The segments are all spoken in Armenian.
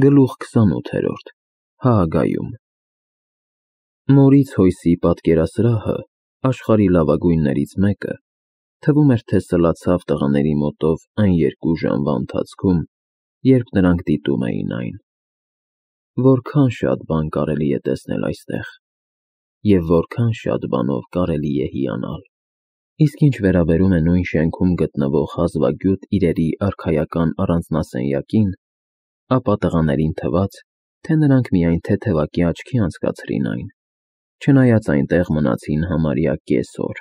Գլուխ 28 Հաագայում Մորից Հոյսի պատկերասրահը, աշխարհի լավագույններից մեկը, թվում էր, թե սլացավ տղաների մոտով այն 2 ժամվա ընթացքում, երբ նրանք դիտում էին այն։ Որքան շատ բան կարելի է տեսնել այստեղ, և որքան շատ բանով կարելի է հիանալ։ Իսկ ինչ վերաբերում է նույն շենքում գտնվող հազվագյուտ իրերի արքայական առանձնասենյակին, ապա տղաներին թվաց, թե նրանք միայն թեթևակի աչքի անցկացրին այն, չնայած այնտեղ մնացին համարյա կես օր։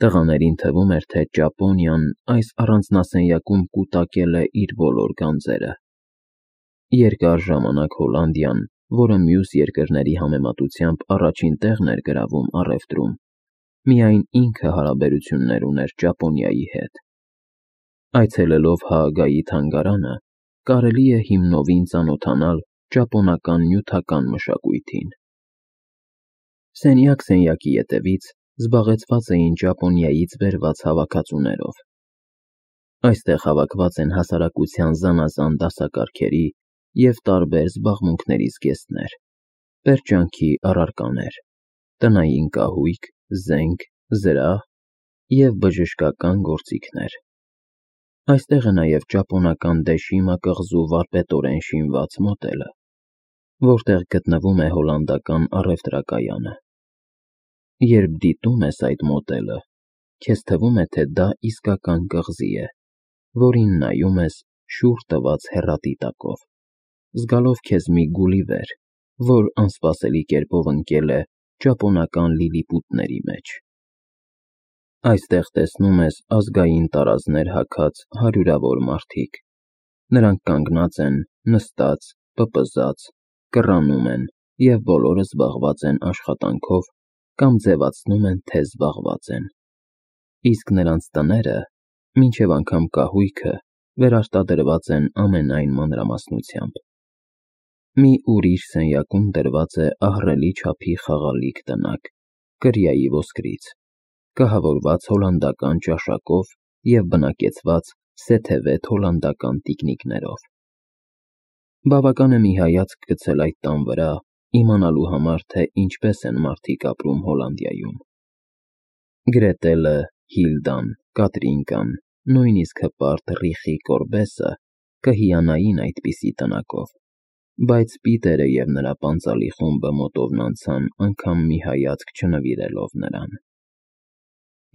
Տղաներին թվում էր, թե Ճապոնիան այս առանձնասենյակում կուտակել է իր բոլոր գանձերը։ Երկար ժամանակ Հոլանդիան, որը մյուս երկրների համեմատությամբ առաջին տեղն էր գրավում առևտրում, միայն ինքը հարաբերություններ ուներ Ճապոնիայի հետ։ Այցելելով Հաագայի թանգարանը, կարելի է հիմնովին ծանոթանալ ճապոնական նյութական մշակույթին։ Սենյակ սենյակի ետևից զբաղեցված էին Ճապոնիայից բերված հավաքածուներով։ Այստեղ հավաքված են հասարակության զանազան դասակարգերի և տարբեր զբաղմունքների զգեստներ, պերճանքի առարկաներ, տնային կահույք, զենք, զրահ և բժշկական գործիքներ։ Այստեղ է նաև ճապոնական Դեշիմա կղզու վարպետորեն շինված մոտելը, որտեղ գտնվում է հոլանդական առևտրակայանը։ Երբ դիտում ես այդ մոտելը, քեզ թվում է, թե դա իսկական կղզի է, որին նայում ես շուռ տված հեռադիտակով, զգալով քեզ մի Գուլիվեր, որ անսպասելի կերպով ընկել է ճապոնական լիլիպուտների մեջ։ Այստեղ տեսնում ես ազգային տարազներ հագած հարյուրավոր մարդիկ։ Նրանք կանգնած են, նստած, պպզած, կռանում են և բոլորը զբաղված են աշխատանքով կամ ձևացնում են, թե զբաղված են։ Իսկ նրանց տները, մինչև անգամ կահույքը, վերարտադրված են ամենայն մանրամասնությամբ։ Մի ուրիշ սենյակում դրված է ահռելի չափի խաղալիք տնակ, կրիայի ոսկրից, կահավորված հոլանդական ճաշակով և բնակեցված սեթևետ հոլանդական տիկնիկներով։ Բավական է մի հայացք գցել այդ տան վրա, իմանալու համար, թե ինչպես են մարդիկ ապրում Հոլանդիայում։ Գրետելը, Հիլդան, Կատրինկան, նույնիսկ հպարտ Ռիխի Կորբեսը կհիանային այդպիսի տնակով, բայց Պիտերը և նրա պանծալի խումբը մոտովն անցան անգամ մի հայացք չնվիրելով նրան։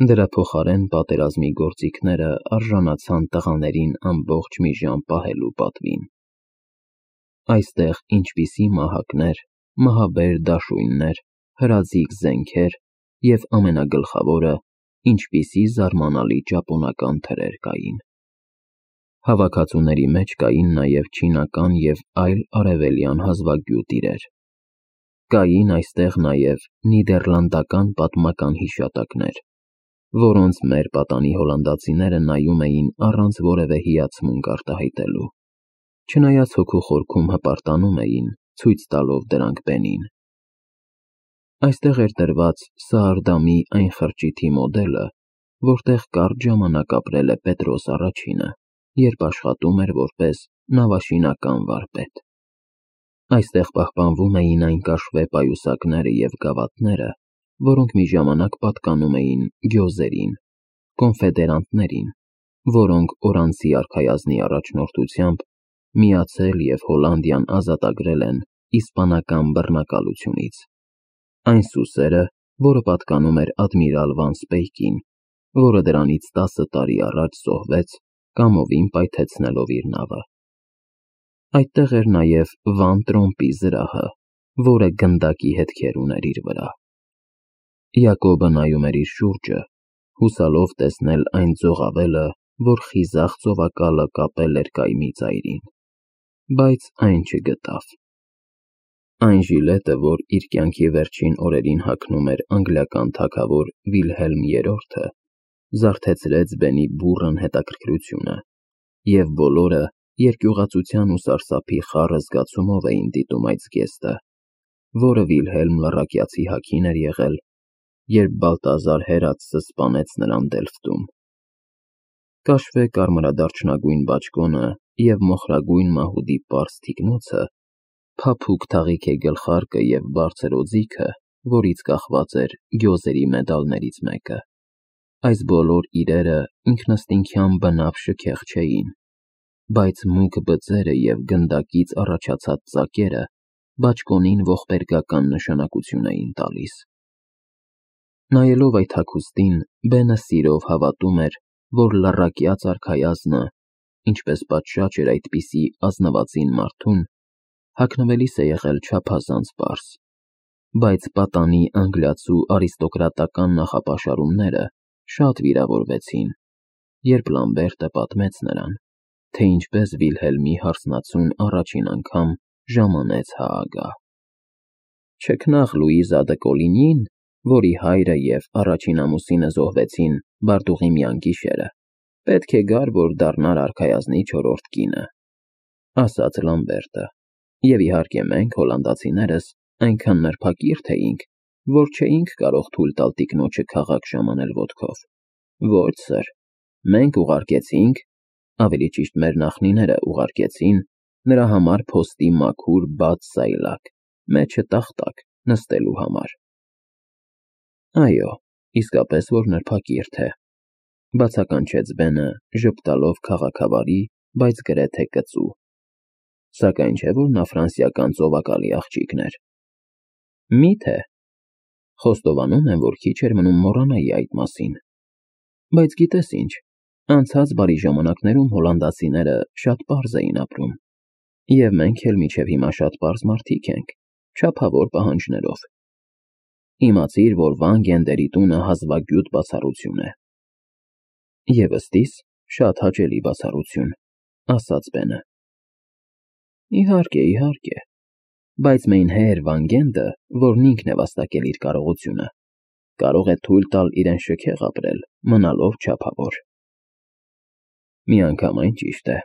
Դրա փոխարեն պատերազմի գործիքները արժանացան տղաներին ամբողջ մի ժամ պահելու պատվին։ Այստեղ ինչպիսի մահակներ, մահաբեր դաշույններ, հրաձիգ զենքեր և ամենագլխավորը, ինչպիսի զարմանալի ճապոնական թրեր կային։ Հավաքածուների մեջ կային նաև չինական և այլ արևելյան հազվագյուտ իրեր։ Կային այստեղ նաև նիդերլանդական պատմական հիշատակներ, որոնց մեր պատանի հոլանդացիները նայում էին առանց որևէ հիացմունք արտահայտելու, չնայած հոգու խորքում հպարտանում էին, ցույց տալով դրանք բենին։ Այստեղ էր դրված Սաարդամի այն խրճիթի մոդելը, որտեղ կարճ ժամանակ ապրել է Պետրոս Առաջինը, երբ աշխատում էր որպես նավաշինական վարպետ։ Այստեղ պահպանվում էին այն կաշվե պայուսակները և գավաթները, որոնք մի ժամանակ պատկանում էին գյոզերին, կոնֆեդերանտներին, որոնք օրանցի արքայազնի առաջնորդությամբ միացել և Հոլանդիան ազատագրել են իսպանական բռնակալությունից։ Այն սուսերը, որը պատկանում էր ադմիրալ Վան Սպեյկին, որը դրանից 10 տարի առաջ զոհվեց կամովին պայթեցնելով իր նավը։ Այդտեղ էր նաև Վան Տրոմպի զրահը, որը գնդակի հետքեր ուներ իր վրա։ Յակոբը նայում էր իր շուրջը, հուսալով տեսնել այն ծովավելը, որ խիզախ ծովակալը կապել էր կայմի ծայրին, բայց այն չգտավ։ Այն ժիլետը, որ իր կյանքի վերջին օրերին հագնում էր անգլիական թագավոր Վիլհելմ III-ը, զարթեցրեց Բենի բուռն հետաքրքրությունը, և բոլորը երկյուղածության ու սարսափի խառը զգացումով էին դիտում այդ զգեստը, որը Վիլհելմ Լռակյացի հագին էր եղել, երբ Բալտազար Հերացը սպանեց նրան Դելֆտում։ Կաշվե կարմրադարչնագույն բաճկոնը և մոխրագույն մահուդի պարզ թիկնոցը, փափուկ թաղիք է գլխարկը և բարձր օձիքը, որից կախված էր գյոզերի մեդալներից մեկը։ Այս բոլոր իրերը ինքնըստինքյան բնավ շքեղ չէին, բայց մուգ բծերը և գնդակից առաջացած ծակերը բաճկոնին ողբերգական նշանակություն էին տալիս։ Նայելով այդ հագուստին, Բենը սիրով հավատում էր, որ լռակյաց արքայազնը, ինչպես պատշաճ էր այդպիսի ազնվածին մարդուն, հագնվելիս է եղել չափազանց պարզ, բայց պատանի անգլիացու արիստոկրատական նախապաշարումները շատ վիրավորվեցին, երբ Լամբերտը պատմեց նրան, թե ինչպես Վիլհելմի հարսնացուն առաջին անգամ ժամանեց Հաագա։ Չքնաղ Լուիզա դը Կոլինյին, որի հայրը և առաջին ամուսինը զոհվեցին Բարտուղիմյան գիշերը, պետք է գար, որ դառնար արքայազնի չորրորդ կինը, ասաց Լամբերտը, և իհարկե մենք, հոլանդացիներս, այնքան նրբակիրթ էինք, որ չէինք կարող թույլ տալ տիկնոջը քաղաք ժամանել ոտքով։ Ոչ, սըր, մենք ուղարկեցինք, ավելի ճիշտ մեր նախնիները ուղարկեցին նրա համար փոստի մաքուր բաց սայլակ, մեջը տախտակ, նստելու համար։ Այո, իսկապես որ նրբակիրթ է, բացականչեց Բենը, ժպտալով քաղաքավարի, բայց գրեթե կծու, սակայն չէ որ նա ֆրանսիական ծովակալի աղջիկն էր։ Մի՞թե, խոստովանում եմ, որ քիչ էր մնում մոռանայի այդ մասին, բայց գիտես ինչ, անցած բարի ժամանակներում հոլանդացիները շատ պարզ էին ապրում, և մենք էլ մինչև հիմա շատ պարզ մարդիկ ենք, չափավոր պահանջներով։ Իմացիր, որ Վան Գենդերի տունը հազվագյուտ բացառություն է։ Եվ ըստիս, շատ հաճելի բացառություն, ասաց Բենը։ Իհարկե, իհարկե, բայց mein Herr Վան Գենդը, որն ինքն է վաստակել իր կարողությունը, կարող է թույլ տալ իրեն շքեղ ապրել, մնալով չափավոր։ Միանգամայն ճիշտ է,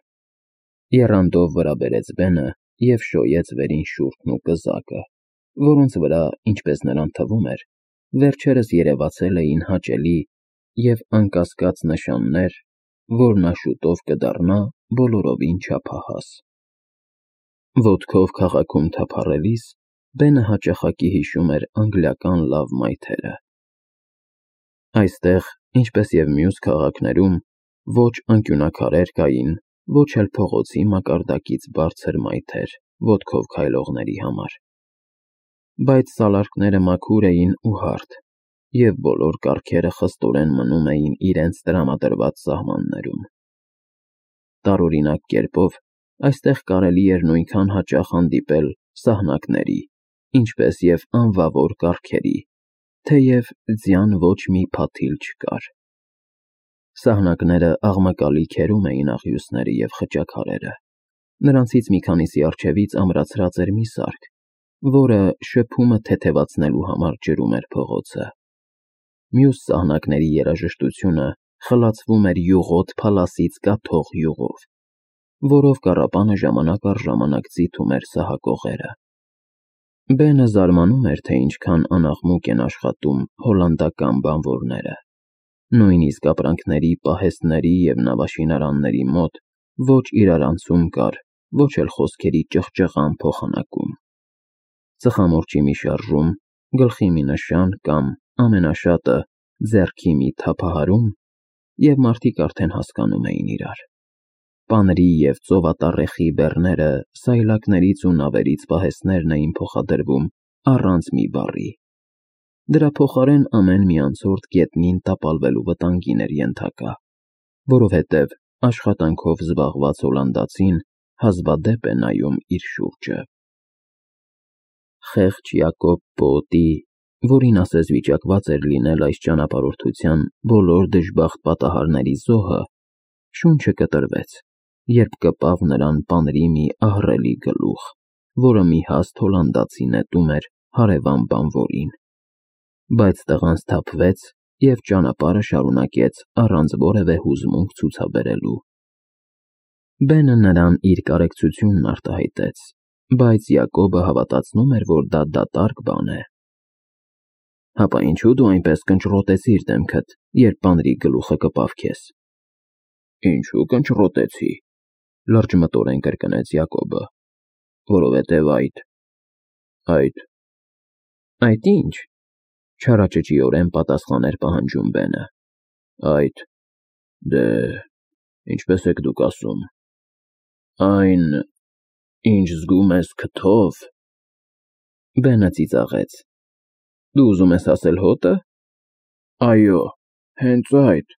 եռանդով վրա բերեց Բենը և շոյեց վերին շուրթն ու կզակը, որոնց վրա, ինչպես նրան թվում էր, վերջերս երևացել էին հաճելի և անկասկած նշաններ, որ նա շուտով կդառնա բոլորովին չափահաս։ Ոտքով քաղաքում թափառելիս Բենը հաճախակի հիշում էր անգլիական լավ մայթերը։ Այստեղ, ինչպես և մյուս քաղաքներում, ոչ անկյունաքարեր կային, ոչ էլ փողոցի մակարդակից բարձր մայթեր ոտքով քայլողների համար, բայց սալարկները մաքուր էին ու հարթ, և բոլոր կառքերը խստորեն մնում էին իրենց տրամադրված սահմաններում։ Տարօրինակ կերպով, այստեղ կարելի էր նույնքան հաճախ հանդիպել սահնակների, ինչպես և անվավոր կառքերի, թեև ձյան ոչ մի փաթիլ չկար։ Սահնակները աղմկալի քերում էին աղյուսները և խճաքարերը, նրանցից մի քանիսի առջևից ամրացրած էր մի սարք, որը շփումը թեթևացնելու համար ջրում էր փողոցը։ Մյուս սահնակների երաժշտությունը խլացվում էր յուղոտ փալասից կաթող յուղով, որով կառապանը ժամանակ առ ժամանակ ձիթում էր սահակողերը։ Բենը զարմանում էր, թե ինչքան անաղմուկ են աշխատում հոլանդական բանվորները։ Նույնիսկ ապրանքների, պահեստների և նավաշինարանների մոտ ոչ իրարանցում կար, ոչ էլ խոսքերի ճղճղան փոխանակում։ Ծխամորճի մի շարժում, գլխի մի նշան կամ, ամենաշատը, ձեռքի մի թափահարում, և մարդիկ արդեն հասկանում էին իրար։ Պանրի և ծովատառեխի բեռները սայլակներից ու նավերից պահեստներն էին փոխադրվում առանց մի բառի։ Դրա փոխարեն ամեն մի անցորդ գետնին տապալվելու վտանգին էր ենթակա, որովհետև աշխատանքով զբաղված հոլանդացին հազվադեպ է նայում իր շուրջը։ Խեղճ Յակոբ Պոոտի, որին ասես վիճակված էր լինել այս ճանապարհորդության բոլոր դժբախտ պատահարների զոհը, շունչը կտրվեց, երբ կպավ նրան պանրի մի ահռելի գլուխ, որը մի հաստ հոլանդացի նետում էր հարևան բանվորին, բայց տղան սթափվեց և ճանապարհը շարունակեց առանց որևէ հուզմունք ցուցաբերելու։ Բենը նրան իր կարեկցությունն արտահայտեց, բայց Յակոբը հավատացնում էր, որ դա դատարկ բան է։ Հապա ինչու դու այնպես կնճռոտեցիր դեմքդ, երբ պանրի գլուխը կպավ քեզ։ Ինչու կնճռոտեցի։ լրջմտորեն կրկնեց Յակոբը, որովհետև այդ ինչ, չարաճճիորեն պատասխաներ պահանջում Բենը, դե, ինչպես եք դուք ասում, այն, ինչ զգում ես քթով… Բենը ծիծաղեց, դու ուզում ես ասել հոտը… Այո, հենց այդ,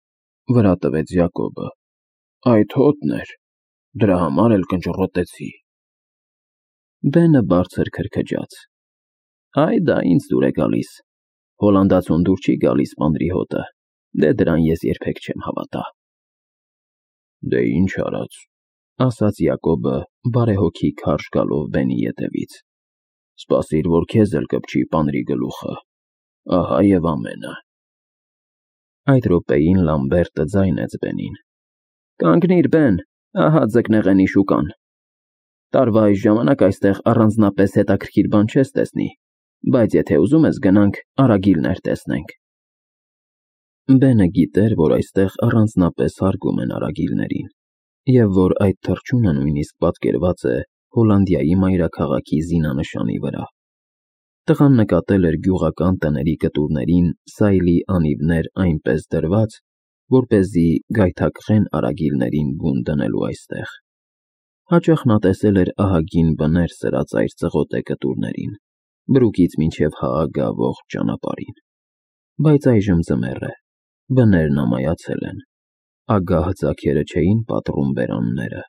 վրա տվեց Յակոբը, այդ հոտն էր, դրա համար էլ կնճռոտեցի… Բենը բարձր քրքջաց, դա ինձ դուր է գալիս, հոլանդացուն դուր չի գալիս պանրի հոտը, դե դրան ես երբեք չեմ հավատա… Դե ինչ արած, ասաց Յակոբը բարեհոգի քարշ գալով Բենի ետևից, սպասիր, որ քեզ էլ կպչի պանրի գլուխը, ահա և ամենը… Այդ րոպեին Լամբերտը ձայնեց Բենին. Կանգնիր, Բեն, ահա ձկնեղենի շուկան… Տարվա այս ժամանակ այստեղ առանձնապես հետաքրքիր բան չես տեսնի, բայց եթե ուզում ես գնանք արագիլներ տեսնենք… Բենը գիտեր, որ այստեղ առանձնապես հարգում են արագիլներին, և որ այդ թռչունը նույնիսկ պատկերված է Հոլանդիայի մայրաքաղաքի զինանշանի վրա… Տղան նկատել էր գյուղական տների կտուրներին սայլի անիվներ այնպես դրված, որպեսզի գայթակղեն արագիլներին բուն դնելու այստեղ… Հաճախ նա տեսել էր ահագին բներ սրած այդ ծղոտե կտուրներին, բրուկից մինչև Հաագա ողջ ճանապարհին… Բայց այժմ ձմեռ է, բներն ամայացել են, ագահ ձագերը չէին պատռում բերանները,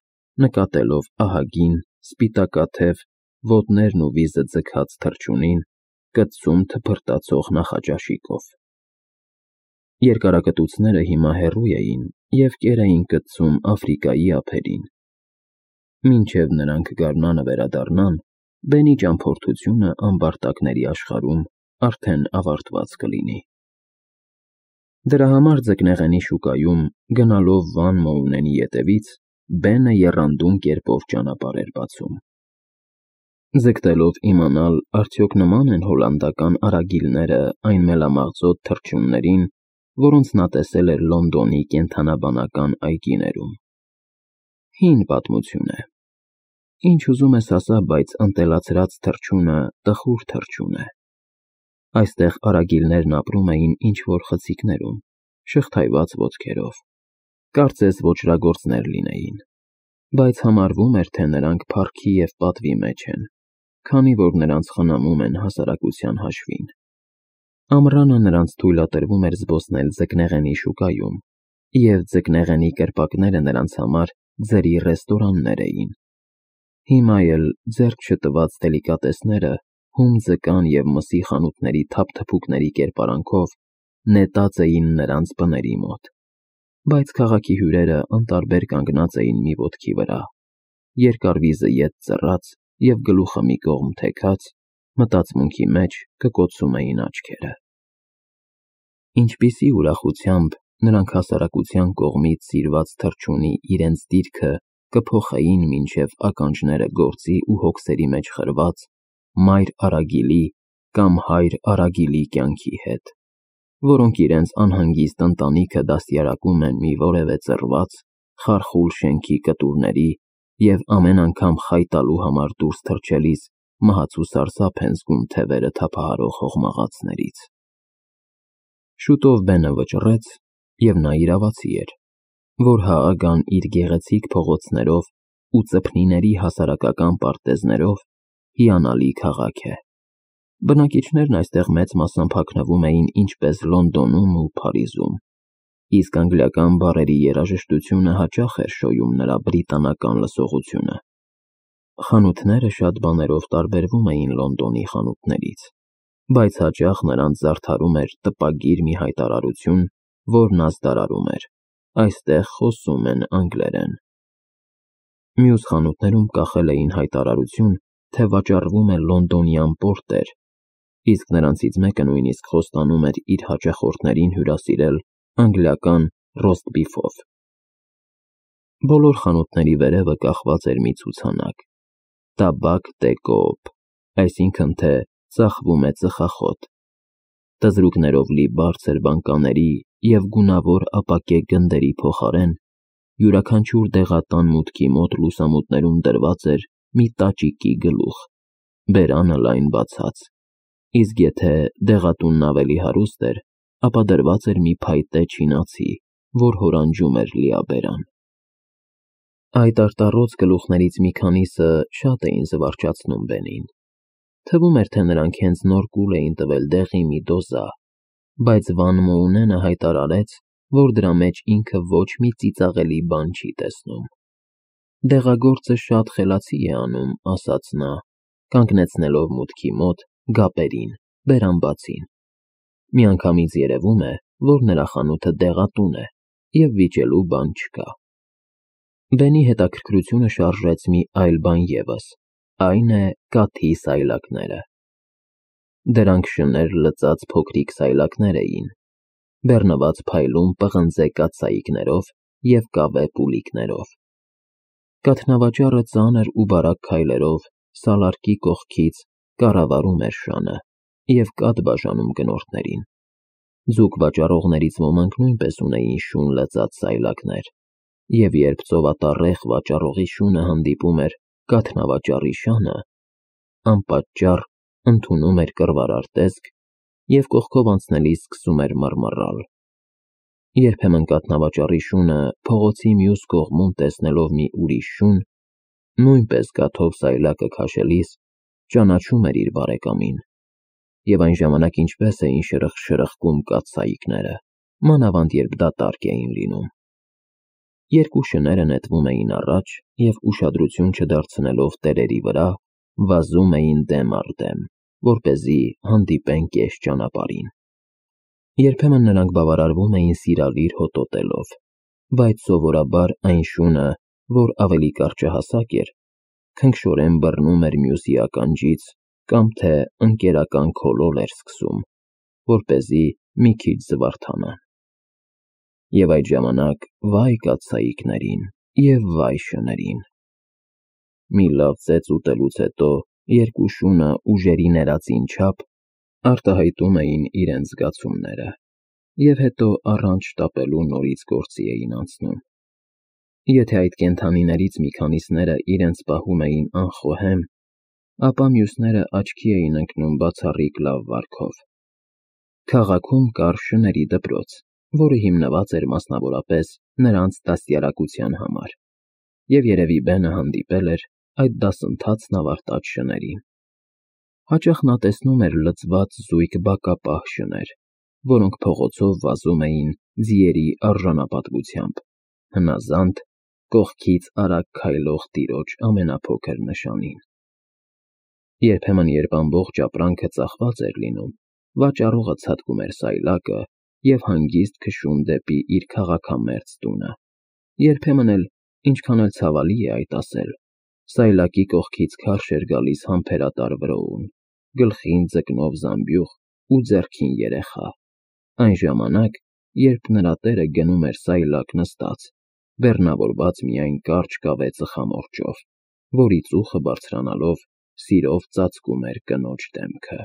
նկատելով ահագին, սպիտակաթև, ոտներն ու վիզը ձգած թռչունին, կծում թփրտացող նախաճաշիկով… Երկարակտուցները հիմա հեռու էին և կեր էին կծում Աֆրիկայի ափերին… Մինչև նրանք գարնանը վերադառնան, Բենի ճամփորդությունը ամբարտակների աշխարհում արդեն ավարտված կլինի… Դրա համար ձկնեղենի շուկայում, գնալով Վան Մոունենի ետևից, Բենը եռանդուն կերպով ճանապարհ էր բացում… Ձգտելով իմանալ, արդյոք նման են հոլանդական արագիլները այն մելամաղձոտ թռչուններին, որոնց նա տեսել էր Լոնդոնի կենդանաբանական այգիներում… Հին պատմություն է… Ինչ ուզում ես ասա, բայց ընտելացրած թռչունը տխուր թռչուն է… Այստեղ արագիլներն ապրում էին ինչ-որ խցիկներում, շղթայված ոտքերով, կարծես ոճրագործներ լինեին, բայց համարվում էր, թե նրանք փառքի և պատվի մեջ են, քանի որ նրանց խնամում են հասարակության հաշվին… Ամռանը նրանց թույլատրվում էր զբոսնել ձկնեղենի շուկայում, և ձկնեղենի կրպակները նրանց համար ձրի ռեստորաններ էին… Հիմա էլ ձեռք չտված դելիկատեսները հում ձկան և մսի խանութների թափթփուկների կերպարանքով նետած էին նրանց բների մոտ, բայց քաղաքի հյուրերը անտարբեր կանգնած էին մի ոտքի վրա, երկար վիզը ետ ծռած և գլուխը մի կողմ թեքած, մտածմունքի մեջ կկոցում էին աչքերը… Ինչպիսի ուրախությամբ նրանք հասարակության կողմից սիրված թռչունի իրենց դիրքը կփոխեին մինչև ականջները գործի ու հոգսերի մեջ խրված մայր արագիլի կամ հայր արագիլի կյանքի հետ, որոնք իրենց անհանգիստ ընտանիքը դաստիարակում են մի որևէ ծռված, խարխուլ շենքի կտուրների և ամեն անգամ խայ տալու համար դուրս թռչելիս մահացու սարսափ են զգում թևերը թափահարող հողմաղացներից… Շուտով Բենը վճռեց, և նա իրավացի էր, որ Հաագան իր գեղեցիկ փողոցներով ու ծփնիների հասարակական պարտեզներով հիանալի քաղաք է… Բնակիչներն այստեղ մեծ մասամբ հագնվում էին ինչպես Լոնդոնում ու Փարիզում, իսկ անգլիական բառերի երաժշտությունը հաճախ էր շոյում նրա բրիտանական լսողությունը… Խանութները շատ բաներով տարբերվում էին Լոնդոնի խանութներից, բայց հաճախ նրանց զարդարում էր տպագիր մի հայտարարություն, որն ազդարարում էր. այստեղ խոսում են անգլերեն… Մյուս խանութներում կախել էին հայտարարություն, թե վաճառվում է լոնդոնյան պորտեր, իսկ նրանցից մեկը նույնիսկ խոստանում էր իր հաճախորդներին հյուրասիրել անգլիական ռոսթ բիֆով… Բոլոր խանութների վերևը կախված էր մի ցուցանակ. «Տաբակ դե Կոոպ», այսինքն թե «ծախվում է ծխախոտ», տզրուկներով լի բարձր բանկաների և գունավոր ապակե գնդերի փոխարեն յուրաքանչյուր դեղատան մուտքի մոտ լուսամուտներում դրված էր մի տաճիկի գլուխ, բերանը լայն բացած, իսկ եթե դեղատունն ավելի հարուստ էր, ապա դրված էր մի փայտե չինացի, որ հորանջում էր լիաբերան։ Այդ արտառոց գլուխներից մի քանիսը շատ էին զվարճացնում Բենին։ Թվում էր, թե նրանք հենց նոր կուլ էին տվել դեղի մի դոզա, բայց Վան Մոունենը հայտարարեց, որ դրա մեջ ինքը ոչ մի ծիծաղելի բան չի տեսնում։ Դեղագործը շատ խելացի է անում, ասաց նա, կանգնեցնելով մուտքի մոտ գապերին, բերանբացին։ Միանգամից երևում է, որ նրա խանութը դեղատուն է, և վիճելու բան չկա։ Բենի հետաքրքրությունը շարժեց մի այլ բան ևս, այն է կաթի սայլակները։ Դրանք շներ լծած փոքրիկ սայլակներ էին, բեռնված փայլուն պղնձե կաթսայիկներով և կավե պուլիկներով։ Կաթնավաճառը ծանր ու բարակ քայլերով սալարկի կողքից կառավարում էր շանը և կաթ բաժանում գնորդներին։ Ձուկ վաճառողներից ոմանք նույնպես ունեին շուն լծած սայլակներ, և երբ ծովատառեխ վաճառողի շունը հանդիպում էր կաթնավաճառի շանը, անպատճառ ընդունում էր կռվարար տեսք և կողքով անցնելիս սկսում էր մռմռալ։ Երբեմն կաթնավաճառի շունը փողոցի մյուս կողմում տեսնելով մի ուրիշ շուն, նույնպես կաթով սայլակը քաշելիս ճանաչում էր իր բարեկամին, և այն ժամանակ ինչպես էին շրխկում կաթսայիկները, մանավանդ երբ դատարկ էին լինում։ Երկու շները նետվում էին առաջ և ուշադրություն չդարձնելով տերերի վրա, վազում էին դեմ առ դեմ, որպեսզի հանդիպեն կես ճանապարհին։ Երբեմն նրանք բավարարվում էին սիրալիր հոտոտելով, բայց սովորաբար այն շունը, որ ավելի կարճահասակ էր, քնքշորեն բռնում էր մյուսի ականջից կամ թե ընկերական քոլոլ էր սկսում, որպեսզի մի քիչ զվարթանան։ Եվ այդ ժամանակ վայ կաթսայիկներին և վայ շներին։ Մի լավ ծեծ ուտելուց հետո երկու շունը ուժերի ներածին չափ արտահայտում էին իրենց զգացումները և հետո առանց շտապելու նորից գործի էին անցնում։ Եթե այդ կենդանիներից մի քանիսները իրենց պահում էին անխոհեմ, ապա մյուսները աչքի էին ընկնում բացառիկ լավ վարքով։ Քաղաքում կար շների դպրոց, որը հիմնված էր մասնավորապես նրանց դաստիարակության համար, և երևի Բենը հանդիպել էր այդ դասընթացն ավարտած շներին։ Հաճախ նա տեսնում էր լցված զույգ բակապահ շներ, որոնք փողոցով վազում էին ձիերի արժանապատվությամբ, հնազանդ, կողքից արագ քայլող տիրոջ ամենափոքր նշանին։ Երբեմն, երբ ամբողջ ապրանքը ծախված էր լինում, վաճառողը ցատկում էր սայլակը և հանգիստ քշում դեպի իր քաղաքամերձ տունը։ Երբեմն էլ, ինչքան էլ ցավալի է այդ ասել, սայլակի կողքից քարշ էր գալիս համբերատար վրոուն, գլխին ձկնով զամբյուղ ու ձեռքին երեխա, այն ժամանակ, երբ նրա տերը գնում էր սայլակ նստած, բեռնավորված միայն կարճ կավե ծխամորճով, որի ծուխը բարձրանալով սիրով ծածկում էր կնոջ դեմքը։